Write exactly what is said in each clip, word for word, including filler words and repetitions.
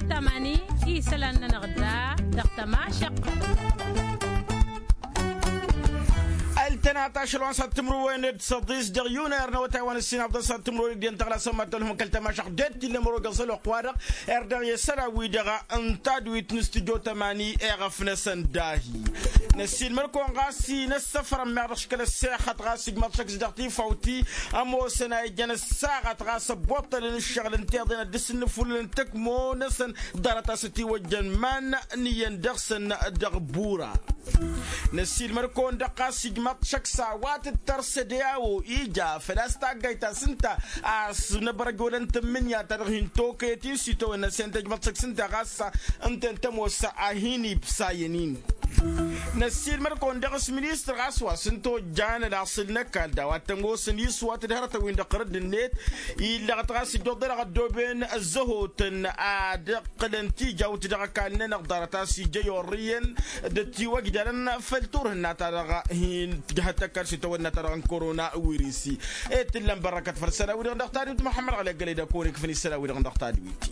Tămani isălan-nănăɣ da dăɣ-tămašăq. Ăltănat ašăl wa n-săḍ timǝrwen d-săḍis dăɣ-yunăr n-awătay wa n-ǝssin afḍăn săḍ timǝrwen d-iyyăn tăɣla sămma tălhum kăl-tămašăq d-tilǝm rogăẓ ălwăqq-wa-dăɣ. Erdăɣ i-sărawidăɣ n-tadwit n-stujo tămani eɣăf-năsăn dahi. Năssiilmăd-kăwăn ɣas i-inăssăfrăn meɣ dăɣ-s kăl-ăssexăt ɣas ijmăḍ šăkk s-dăɣ tifawti ămoosăn a ijăn ăssaɣăt ɣas ăbboṭṭălăn ǝššăɣǝl ǝnta iḍen ad-dăr-s ǝnnǝfulǝlăn tăkmo-năsăn ḍarăt a-s ătiwăjjăn iman n-iyyăn dăɣ-săn. Dăɣ-bura năssiilmăd-kăwăn-dăɣ ɣas ijmăḍ šăkk s-a-wa tǝttăr sădeyăwo ija făl-a-s taggayt ta s-ǝnta a-s năbărăj wălăn tǝmmǝnǝya ta dăɣ-hin-tokăyăt-in s-itawănna s-en tăjmăḍ šăkk s-ǝnta ɣas ǝnta-en tămoos a hin-ibsayăn-in. Năssiilmăd-kăwăn dăɣ-s ministăr ɣas wa s-ǝnta ojjan ălaṣǝl n-ăkall d-a-wa t-ămoosăn iswat d-hărătăn-win-dăɣ tărădd-net illăɣăt ɣas ǝjjuḍălăɣ ăddooben ăzzăhotăn ad-ǝqqǝlăn tijawt dăɣ-ăkall-nănăɣ ḍarăt a-s ija i-orrǝyăn d-ătiwăjdalăn făll-turhǝnna-ta-dăɣ hin-tǝjhăt ăkall s-itawănna-ta-dăɣ n-korona wirisi. Ed t-ǝllăn bărrăkăt făll-isălan-wi-dăɣ dăɣ-tadwit muḥămmăd ɣălăggălăy d-ăkk-onek făll-isălan-wi-dăɣ dăɣ-tadwit.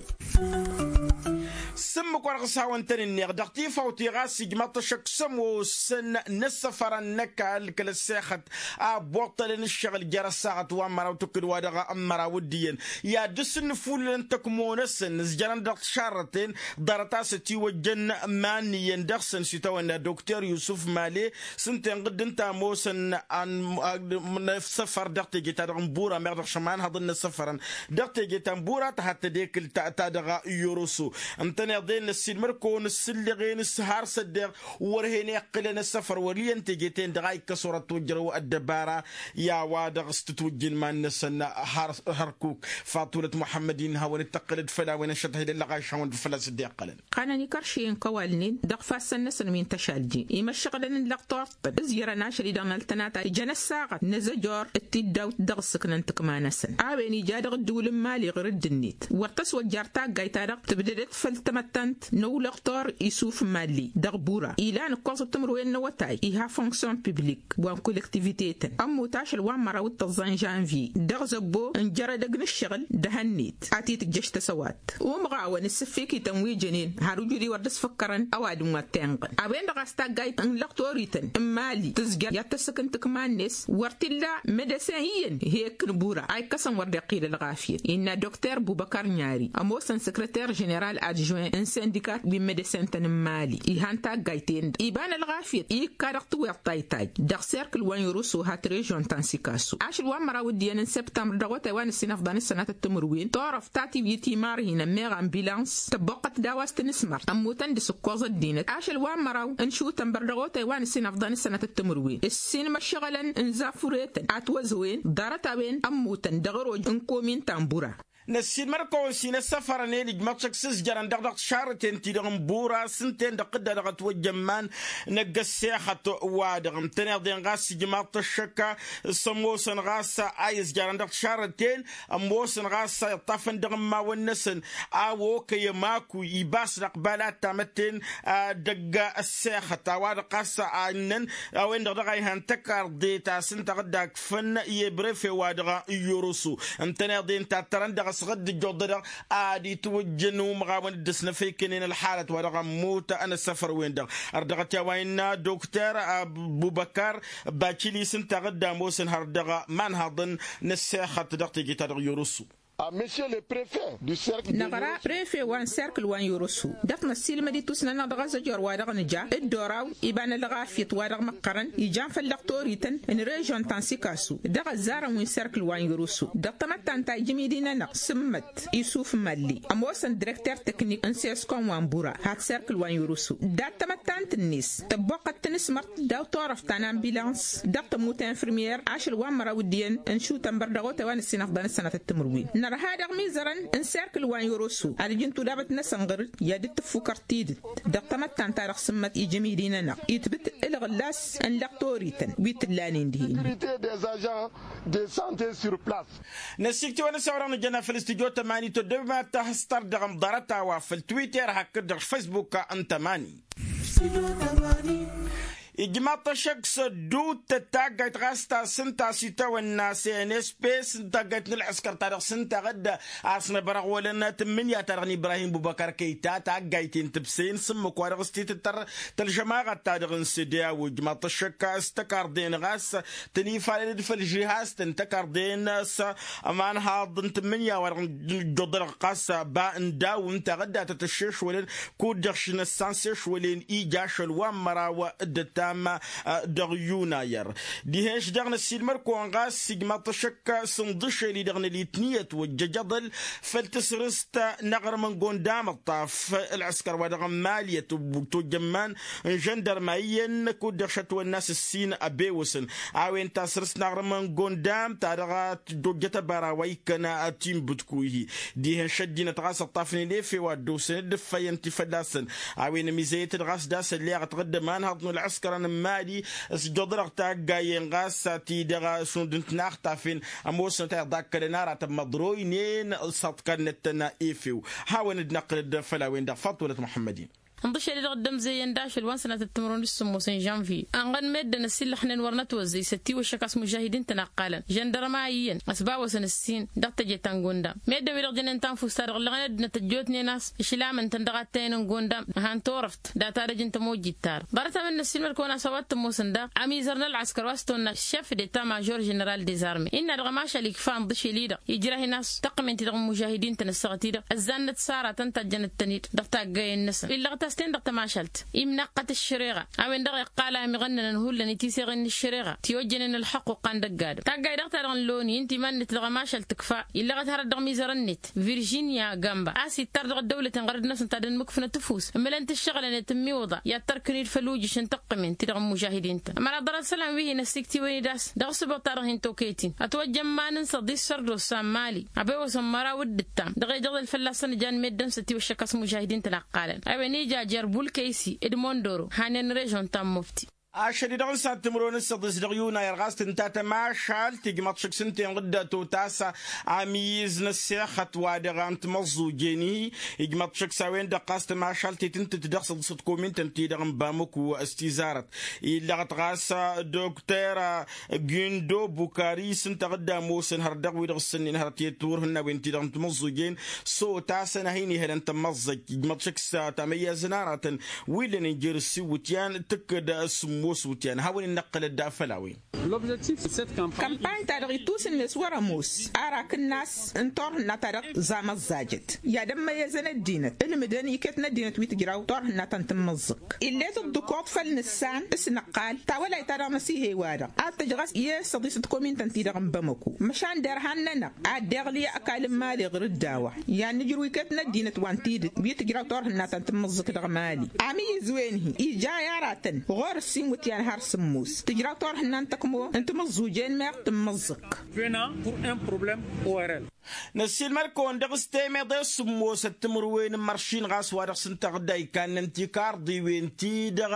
S-ǝmmǝk wa dăɣ-s hawăn-tăn-ǝnneɣ dăɣ-tifawt i-ɣas ijmăḍ-t ăššăk s-ămoosăn n-ăssăfărăn n-ăkall kăl-ăssexăt a ăbboṭṭălăn ǝššăɣǝl jer-ăssaɣăt wa n-măraw tǝkkǝd wa dăɣ-măraw d-iyyăn i-ad-dăr-s ǝnnǝfulǝlăn tăkmo-năsăn ǝzjărăn dăɣ-tišarrăten ḍarăt a-s ătiwăjjăn iman n-iyyăn dăɣ-săn s-itawănna dokter yusuf male. S-ǝnta inɣǝd ǝnta ămoosăn n-ăssăfăr dăɣ-teje-ta-dăɣ n-bura meɣ dăɣ-šămanhăḍăn n-ăssăfărăn dăɣ-teje ta n-bura tăhadd tădekǝl ta dăɣ-yoroso. Ǝntăneḍ-en năssiilmăd-kăwăn ǝssǝlleɣ-en s-har s-ăddeɣ wăr hen-iqqǝlăn ăssăfăr wăr iyyăn teje-ten-dăɣ a ikkăs wăr-ătwăjjărăw ăddăbara. I-a-wa-dăɣ s-tǝtwǝjjǝn iman-năsăn hărkuk. Faṭulăt muḥămmăd-in hawăn-dd-tăqqǝlăd făll-a-wen ăššăt hidăllăɣ a išhawăn-dd fălla-s dd-iqqălăn. Qanăn ikărš iyyăn kăwalnen dăɣ-ifassăn-năsăn wi n-tăšalje imăššăɣǝlăn n-lăqtor tăt-ǝzjărăn ašăl-i-dăɣ n-ăltănata ijăn ăssaɣăt n-azăjor d-tiddawt dăɣ-ǝssǝknăn tǝkma-năsăn a-wen ija dăɣ-ǝddǝwǝl n-imali ɣur-ǝddǝnet wăr tăswăjjar taggayt-ta-dăɣ tǝbdădăt făll-tamăttant n-ăwlăqtor isuf malli. Dăɣ-bura ilan ǝkkoẓăt timǝrwen n-awătay iha fonksyon piblik wa n-kolektivite-tăn ămmut ašăl wa n-măraw d-tăẓẓa n-žănvye dăɣ-zăbbo n-jărădăg n-ǝššăɣǝl d-ehănnet a t-itǝjjăš tăsăwat. Umɣawăn ǝssǝffikităn wi jănen har ujudi wăr dd-ăsfăkkărăn ăwadǝm wa t-inɣăn a-wen-dăɣ a-s taggayt n-lăqtorităn n-imali tǝzjăr i-ad-tăssǝk n-tǝkma-net wăr t-illa medăsen iyyăn hek n-bura a ikkăsăn wăr dd-iqqil ălɣafyăt innă dokter bubăkar nyari ămoosăn săkrăter ženeral adžuwen n-sindikat wi n-medăsen-tăn n-imali. Ihan taggayt-en-dăɣ iba n-ălɣafyăt ikka dăɣ-tiweḍt ta itajj dăɣ-serkǝl wa n-irusu hat režon ta n-sikasu ašăl wa n-măraw d-iyyăn n-septămbăr dăɣ-otay wa n-ǝssin afḍăn s-sănatăt timǝrwen turăft ta tiwǝyǝt imarhinăn meɣ ambulans tăbboqqăt d-a-wa s-tǝnǝsmărt ămmutăn d-asǝkkoẓ ăddinăt ašăl wa n-măraw n-šutănbăr dăɣ-otay wa n-ǝssin afḍăn s-sănatăt timǝrwen ǝssin imăššăɣălăn n-zafureten atwăzowen ḍarăt-a-wen ămmutăn dăɣ-ăroj n-komin ta n-bura. Năssiilmăd-kăwăn s-inăssăfărăn i-dd-ijmăḍ šăkk s-ǝzjărăn dăɣ-dăɣ tišarrăten-ti-dăɣ n-bura s-ǝnta-en-dăɣ tǝdda dăɣ-ătwăjja n-iman n-ăgg ăssexăt-wa-dăɣ ǝntăneḍ-en ɣas ijmaḍ-t ăššăk s-ămoosăn ɣas a izjarăn dăɣ-tišarrăten ămoosăn ɣas a iṭṭafăn dăɣ-immawăn-năsăn a okăy ămakuy ibas d-ăqbal ad-tamătten dăgg-ăssexăt a-wa-dăɣ ɣas a ǝnnăn a-wen-dăɣ dăɣ-a ihan tăkarḍe ta s-ǝnta dăɣ-dd-akfăn i-ebrefe-wa-dăɣ n-yoroso ǝntăneḍ-en tattărăn dăɣ-s ɣǝdd ǝjjuḍădăɣ ad-itwǝjjăn umɣawăn dd-ăsnăfăykănen ălxalăt wa dăɣ-ămmut ănăssăfăr-wen-dăɣ. Ărdăɣăt i-a-wa innă dokter bubăkar bacili s-ǝnta ɣǝdd ămoosăn har dăɣ-imanhaḍăn n-ăssexăt dăɣ-teje-ta-dăɣ yoroso. Năɣra prefe wa n-serkǝl wa n-yoroso dăɣ-t năssiilmăd-i tusna-năɣ dăɣ-azăjor wa dăɣ-nǝja dd-oraw iba n-ălɣafyăt wa dăɣ-măqqărăn ijan făll-lăqtorităn n-režon ta n-sikasu dăɣ-ăzzarăn wi n-serkǝl wa n-yoroso dăɣ-tamăttant ta ijmidi-nănăɣ sǝmmăt isuf mălli ămoosăn direkter teknik n-seskon wa n-bura hat serkǝl wa n-yoroso dat-tamăttant-net tăbboqqăt tǝnǝsmărt daw-turăft ta n-ambilans dăɣ-tămut infirmyer ašăl wa n-măraw d-iyyăn n-šutănbăr dăɣ-otay wa n-ǝssin afḍăn s-sănatăt timǝrwen nărha daɣ imizărăn n-serkǝl wa n-yoroso ad-ǝjǝn tudabăt n-asănɣăr-dd i-ad-dd-tǝffukăr tidǝt dăɣ-tamăttant-ta-dăɣ sǝmmăt ijămidi-nănăɣ itbǝt ǝlɣǝllas n-lăqtorităn wi t-ǝllanen dihen. Năsikt'-i wa n-ăssawăr-dăɣ nǝjjănna făll-studyo tămani toddobem ad-tahǝstăr dăɣ-amḍarăt a-wa făll-twitter hakd-dăɣ-s facebook n-tămani. Ijmaḍ-t ăššăk s-ădduuttăt taggayt ɣas ta s-ǝnta s-itawănna s-e n s p s n-taggayt n-ălɣǝskăr ta dăɣ-s ǝnta ɣǝdda a-s năbărăɣ wălăn tǝmmǝnǝya-ta-dăɣ n-ibrahim bubăkăr kăyta taggayt-in tǝbsăyăn s-ǝmmǝk wa dăɣ-s titǝttăr tălžămaɣăt-ta-dăɣ n-sede a-wa ijmaḍ-t ăššăk s-tăkarḍen ɣas tăn-ifalălăd făll-žihaz-tăn tăkarḍen s-ămanhaḍ n-tǝmmǝnǝya wa dăɣ-s ǝjjuḍălăɣ ɣas ba n-daw ǝnta ɣǝdda tăt-ăššešwălăn kud-dăɣ š-năssan s-ešwălen ija ašăl wa n-măraw dd-ăttam dăɣ-yunayăr. Dihen-š daɣ năssiilmăr-kăwăn ɣas ijmaḍ-t ăššăk s-inḍǝšel-i-dăɣ n-ălitniyăt wăjjăj aḍăl făll-tasrǝst n-aɣrǝm n-gondam ǝṭṭaf ălɣǝskăr wa dăɣ-n mali ătwăjjămman n-žăndărma iyyăn kud-dăɣ šătwănna s-ǝssin ăbewăsăn a-wen tasrǝst n-aɣrǝm n-gondam ta dăɣ-tǝjjojjăt ăbara wa ikkăn tinbǝtku-hi. Dihen-š ăddinăt ɣas ǝṭṭafnen efew a dd-osăn dd-ǝffăyăn ti fălla-săn a-wen ămizăyăt-dd ɣas d-asălleɣăt ɣǝddǝm anhăḍ n-ălɣǝskărăn n-mali s-ǝjjăḍ-dăɣ taggayen ɣas ti-dăɣ šund n-tinaxtafen ămoosnăt a iḍakkălăn aratăn măḍroynen s-aḍkannăt-tăn efew. Hawăn-dd-năqqǝlăd făll-a-wen-dăɣ faḍt wălăt muḥămmăd-in. Ǝnḍǝšel-i-dăɣ dd-ămzăyyăn d-ašăl wa n-sănatăt timǝrwen d-sǝmmos n-žănvye ănɣăn meddǝn ăsillăxnen wăr nătwăzzăy s-ătiwăššăk a-s mužahidin-tăn a ǝqqalăn žăndărma iyyăn ăsbawăsăn ǝssin dăɣ-teje ta n-gondam meddǝn-wi-dăɣ jănen tanfust-ta-dăɣ ǝllăɣen ăddinăt ăjjootnen a-s išlamăn-tăn dăɣ-attăyăn n-gondam han turăft data dăj-n tămojit-ta-dăɣ ḍarăt-a-wen năssiilmăd-kăwăn a-s a-wa t-ămoosăn daɣ amizăr n-ălɣăskăr wa s-tăwănna šef deta mažor ženeral dezarme innă dăɣ-ămašal ikfa ǝnḍǝšel-i-dăɣ ijrah-in a-s tăqqǝmen-ti-dăɣ n-mužahidin-tăn ăssaɣăt-i-dăɣ ăzzannăt s-aratăn ǝnta ăjjănăt-tăn-dd dăɣ-taggayen-năsăn illăɣăt-as-ten dăɣ-tămašalt imnaqqăt ăššăreɣa a-wen-dăɣ iqqal a ămiɣănnănăn hullan i-tiseɣen n-ăššăreɣa tiwăjjănen ălxăqq uqqan dăgg-adǝm taggay daɣ-ta-dăɣ n-loni ǝnta iman-net dăɣ-ămašal tǝkfa illăɣăt hărăt dăɣ-mizăr-net viržinya gamba a-s ittar dăɣ-ăddăwlăten ɣărăt-năsăn ta dd-ănmǝkfǝnăt ăfuss ǝmǝlăn-t ǝššăɣǝlăn i-tǝmmiwǝḍa i-ad-tărkǝn-dd făll-ujiš n-tăqqǝmen-ti-dăɣ n-mužahidin-tăn ămăra ḍarăt isălan wi hin-ăssiktǝwăn-dd a-s dăɣ-asǝboḍ-ta-dăɣ hin-tokăyăt-in ătwăjja n-iman-in săḍis sărdos sa n-mali ăbewăsăn măraw d-ǝttam dăɣ-e-dd iḍǝl fălla-săn ǝjan meddǝn s-ătiwăššăk a-s mužahidin-tăn a ǝqqalăn a-wen ija jer-bulkăysi d-mondoro hanen režion ta n-mufti. Ašăl-i-dăɣ n-san timǝrwen n-săḍis dăɣ-yunayăr ɣas tǝnta tămašalt ijmăḍ šǝk s-ǝnta-en ɣǝdda totas amiyǝz n-ăssexăt wa dăɣ-an timăẓẓujen-i ijmăḍ šǝk s-a-wen-dăɣ ɣas tămašalt-i tǝntǝt dăɣ-săḍisăt komintăn-ti-dăɣ n-bamăku s-tizarăt illăɣăt ɣas dokter gindo bukari s-ǝnta ɣǝdda ămoosăn hăr dăɣ-wi-dăɣ s-sănnen hărăt i-turhǝnna a-wen-ti-dăɣ n-timăẓẓujen s-otasăn a hin-ihălăn tămmăẓẓăj ijmăḍ šǝk s-tamăyyazăn aratăn wi ǝllănen jer-ǝssin iwǝtyan tǝkkăd s-sǝmmos iwǝtyan hawăn-in-năqqǝlăd făll-a-wen. Kămpany-ta-dăɣ ittusǝnnes wăr-ămoos arak ǝnnas n-turhǝnna-ta-dăɣ zamăẓẓajăt i-ad-ămmăyyăzăn ăddinăt ǝlmǝdăn iket n-ăddinăt wi tǝjraw turhǝnna ta n-tǝmmǝẓẓǝk ill'-e tǝḍḍǝkuḍ făll-nǝssan s-nǝqqal tawălayt-ta-dăɣ n-asihe-wa-dăɣ ad-tǝj ɣas i-săḍisăt komintăn-ti-dăɣ n-bamăku măšan derhan-nănăɣ ad-dd-iɣli ăkall n-imali ɣur-dd a-wa i-ad-nǝjrǝw iket n-ăddinăt wa n-tidǝt wi tǝjraw turhǝnna ta n-tǝmmǝẓẓǝk dăɣ-imali amǝyyǝz-wen-hi ija i-aratăn ɣur-ǝssin iwǝtyan har sǝmmos tǝjraw turhǝnna n-tăkmo n-timǝẓẓujen meɣ tǝmmǝẓẓǝk. Năssiilmăd-kăwăn dăɣ-s temeḍe s-sǝmmosăt timǝrwen n-imăršin ɣas wa dăɣ-s ǝnta ɣǝdda ikannăn tikarḍiwen-ti-dăɣ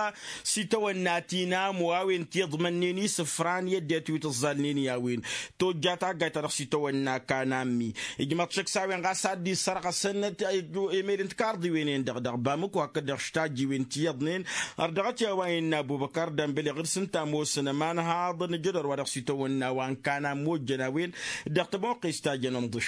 s-itawănna ti n-amo a-wen ti iḍmănnen isǝfran i-ăddinăt wi tǝẓẓalnen i-a-wen tojja taggayt-ta-dăɣ s-itawănna kanammi ijmăḍ šăkk s-a-wen ɣas a dd-isărɣăsăn emed n-tikarḍiwen-en-dăɣ dăɣ-bamǝko hakd-dăɣ štajjiwen ti iyyăḍnen. Ărdăɣăt i-a-wa innă abubăkar dănbăleɣ d-sǝnta ămoosăn ămanhaḍăn ǝjădor wa dăɣ-s itawănna wa n-kanammi ojjăn a-wen dăɣ-tămoqqes ta jăn ănḍǝšil.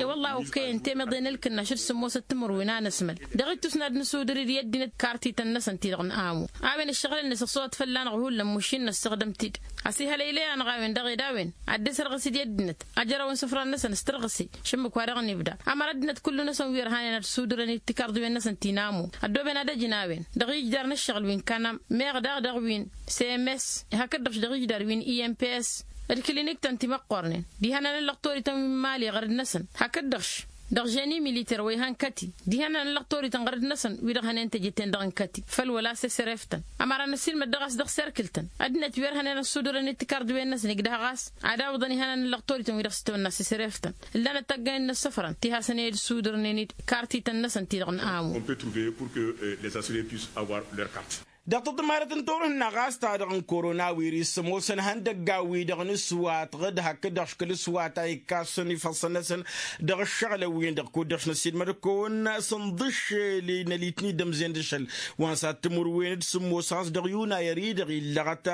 E-wălla a okăyăn temeḍe n-ǝlkǝnnaš d-sǝmmosăt timǝrwen a năsmăl dăɣ-ittus n-ad-nǝsudǝr-dd i-ăddinăt kartităn-năsăn ti-dăɣ n-amu a-wen ǝššăɣǝl-net ăṣṣuwăt fălla-năɣ hullan mušin năssăɣdăm-t-dd. Ăsihălăylăy-anăɣ a-wen dăɣ-ed a-wen ad-dd-esărɣǝs-dd i-ăddinăt ajrăwăn isǝfran-năsăn s-tărɣǝse šǝmmǝk-wa-dăɣ n-ibda ămăra ăddinăt kullu-năsăn wi ărhanen ad-sudǝrăn-dd tikarḍiwen-năsăn ti n-amu ăddooben ad-ăjǝn a-wen dăɣ-ijdar n-ǝššăɣǝl wi n-kanam meɣ daɣ dăɣ-wi n-cms hakd-dăɣ-š dăɣ-ijdar wi n-imps d-kilinik-tăn timăqqornen diha n-anăllăɣ torităn wi n-mali ɣărăd-năsăn hakd-dăɣ-š dăɣ-ženi militer wa ihăn kăti diha n-anăllăɣ torităn ɣărăd-năsăn wi-dăɣ hănen teje-ten-dăɣ n-kăti făll-wăla s-esref-tăn. Ămăra năssiilmăd dăɣ-a-s dăɣ-serkǝl-tăn ăddinăt wi ărhănen ăssudărăn-dd tikarḍiwen-năsăn igdăh ɣas ad-awǝḍăn ihănan n-lăɣ torităn wi dăɣ-s tăwănna s-esref-tăn ǝllanăt tăggăyăn n-ăssăfrăn ti hasăn-ed sudărnen-dd kartităn-năsăn ti-dăɣ n-amu. On peut trouver pour que les assurés puissent avoir leur carte. Dăɣ-taḍmarăt n-turhǝnna ɣas ta-dăɣ n-korona wiris ămoosăn ihăndăggan-wi-dăɣ n-aswat ɣǝd hakd-dăɣ škǝl aswat a ikkassăn ifăṣṣăn-năsăn dăɣ-ǝššăɣǝlăn-win-dăɣ kud-dăɣ šnăsidmăd-kăwăn s-ǝnḍǝššel i-nălitni d-ămzen d-ašăl. Wa n-sad timǝrwen d-sǝmmos ɣas dăɣ-yunayăr-i-dăɣ illăɣăt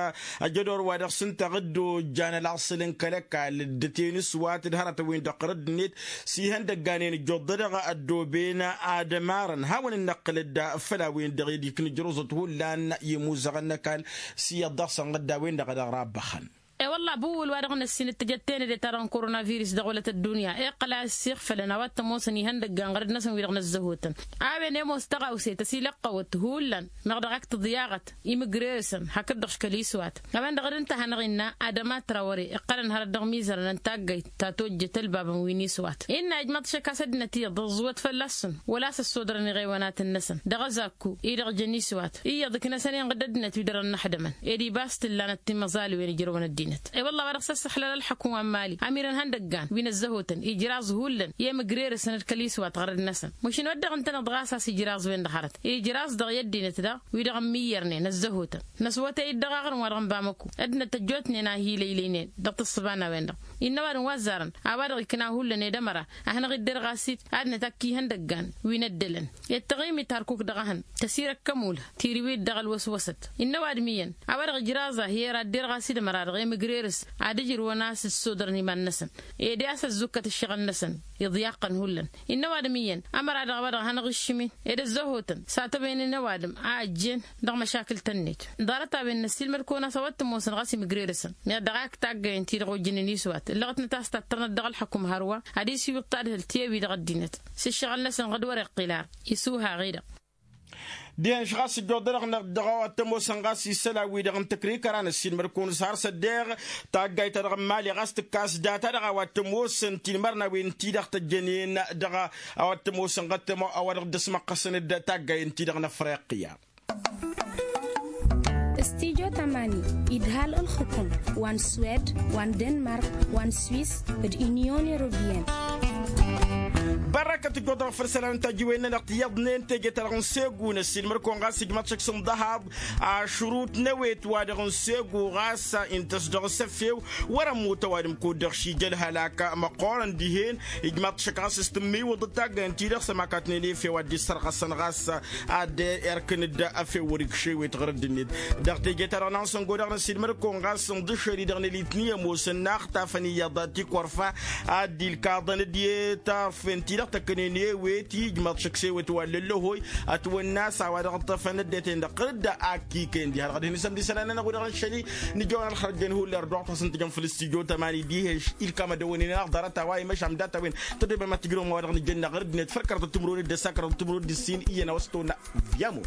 ăjădor wa dăɣ-s ǝnta ɣǝddo ǝjjan ălaṣǝl n-kăl-ăkall dd-ăten aswat d-hărătăn-win-dăɣ ɣărădd-net s-ihăndăgganen ǝjjoḍ-dăɣ ăddooben ad-ămarăn hawăn-dd-năqqǝlăd făll-a-wen-dăɣ ed iknǝjrǝẓăt hullan i-imuzăɣăn n-ăkall. S-iyyăḍ dăɣ-săn ɣǝdda-wen-dăɣ a dăɣ-rabbăxăn. E-wălla abuwǝl wa dăɣ-năssin d-tijăt tenăde-ta-dăɣ n-korona virǝs dăɣ-wălăt ăddunya iqqăl a ăssiɣfălăn a-wa t-ămoosăn ihăndăggan ɣărăd-năsăn wi-dăɣ năzzăhotăn. A-wen i-ămoos tăɣawse tăsilăqqăwăt hullan meɣ dăɣ-ak tǝḍyaɣăt imǝgrerăsăn hakd-dăɣ škăl iswat. A-wen-dăɣ d-ǝnta a hanăɣ-innă adăma trawăre iqqălăn hărăt dăɣ-imizărăn n-taggayt ta tojjăt ălbabăn wi n-iswat innă ijmăḍ šăk a-s ăddinăt iyyăḍ ăẓẓuwăt fălla-săn wăla a-s ăssodărăn iɣewanatăn-năsăn dăɣ-azakku-i-dăɣ jăn iswat iyyăḍ ǝknăsăn inɣǝd ăddinăt wi dăr-ănnăxdămăn. Ed ibas t-ǝllanăt timăẓalwen ijrăwăn ăddinăt. E-wălla a-wa dăɣ-s ăssăxlăl ălxukǝm wa n-mali ămirăn ihăndăggan wi n-ăzzăhotăn ijraẓ hullan i-emǝgrerăsăn d-kăl iswat ɣărăd-năsăn. Măšin wăr dăɣ-ǝntăneḍ ɣas a-s ijraẓ-wen-dăɣ hărăt ijraẓ dăɣ-i ăddinăt daɣ wi-dăɣ ămmiyyărnen ăzzăhotăn. Năswătăy-dd dăɣ-aɣrǝm wa dăɣ-n bamăku ăddinăt ăjjootnen a hi-lăylăynen dăɣ-tǝssǝba n-a-wen-dăɣ. Innă ăwadǝm wa ăzzarăn a-wa-dăɣ ikna hullan ed ămăra a hanăɣ-idder ɣas-dd adnăt akk ihăndăggan wi n-ăddălăn. Ed taɣimit harkuk dăɣ-ehăn tăsirăkkăm ulh tiriwit dăɣ-ălwăswăsăt. Innă ăwadǝm iyyăn a-wa-dăɣ ijraẓ a hi-ăra ădder ɣas-dd ămăra-dăɣ i-mǝgrerǝs ad-ǝjrǝwăn a-s ǝssodărăn iman-năsăn ed i-a-s ăzzukkăt ǝššăɣǝl-năsăn iḍyaqqăn hullan. Innă ăwadǝm iyyăn ămăra-dăɣ a-wa-dăɣ a hanăɣ-iššǝmin ed ăzzăhotăn s-ad-tăwăynen ăwadǝm a ăjjeen dăɣ-măšakǝl-tăn-net. Ḍarăt-a-wen n-ăssiilmăd-kăwăn a-s a-wa t-ămoosăn ɣas imǝgrerǝsăn meɣ dăɣ-ak taggayen-ti-dăɣ ojjǝnen iswat ǝllăɣătnăt a-s tattărnăt dăɣ-ălxukǝm hărwa ad-isiwǝḍ tadhǝlt i-wi-dăɣ ăddinăt s-ǝššăɣǝl-năsăn ɣǝd wăr-iqqǝl ar isuhhaɣ-i-dăɣ. Dihen-š ɣas ǝjjuḍănăɣ dăɣ-a-wa t-ămoosăn ɣas isălan-wi-dăɣ n-tăkrikăra n-ăssiilmăd-kăwăn s-har s-ăddeɣ taggayt-ta-dăɣ n-imali ɣas tǝkkas data-dăɣ a-wa t-ămoosăn tinmărnawen-ti-dăɣ tăjjănen dăɣ-a a-wa t-ămoosăn ɣăttăm a-wa dăɣ-dd-ăsmăqqăsăn d-taggayen-ti-dăɣ n-afriqya. Studyo tamani idhal ǝlxǝkum wa n-swed wa n-denmark wa n-swis d-unyon europeyăn. Bărrăkăt ǝjjuḍăɣ făll-isălan n-tajǝwen-nănăɣ tiyyăḍnen teje-ta-dăɣ n-segu n-ăssiilmăd-kăwăn ɣas ijmăḍ šăkk s-ǝnḍăhaḍ ašrut n-ewet wa dăɣ-n segu ɣas intăs dăɣ-s efew wăr-ămmut ăwadǝm kud-dăɣ šija ălhălak măqqoorăn dihen. Ijmaḍ-t šăkk ɣas s-tǝmmiwǝḍ d-taggayăn-ti-dăɣ s-ămakatnen efew ad-dd-issărɣăsăn ɣas ad-erkǝn-dd efew wăr-ikš ewet ɣur-dd-net. Dăɣ-teje-ta-dăɣ n-ansăngo daɣ n-ăsidmăd-kăwăn ɣas ǝnḍǝššel-i-dăɣ n-elitni ămoosăn n-axtafăn iyyăḍ tikorfa ad-dd-ilkaḍăn d-iyyăt arfen-ti-dăɣ tăkkănen i-ewet ijmaḍ šăkk s-ewet wa n-lăllăhoy ătwănna a-s a-wa dăɣ-ǝṭṭăfăn ăddinăt-en-dăɣ ɣǝr-dd. Akkikăyăn diha-dăɣ ad-hin-isămd isălan-nănăɣ wi-dăɣ n-iššăli nǝjăwăn ălxărăjjăn hullan ărdăɣ-tăsăn tijăn făll-studyo tămani diha-š ilkam ad-ăwănen-anăɣ ḍarăt-a-wa imăšam dat-a-wen tădobem ad-tǝjrǝwăm a-wa dăɣ-nǝjănna ɣǝr-dd-net făll-kăraḍăt timǝrwen d-ăssa kăraḍăt timǝrwen d-ǝssin iyyăn a-wa s-tăwănna. Viyamo.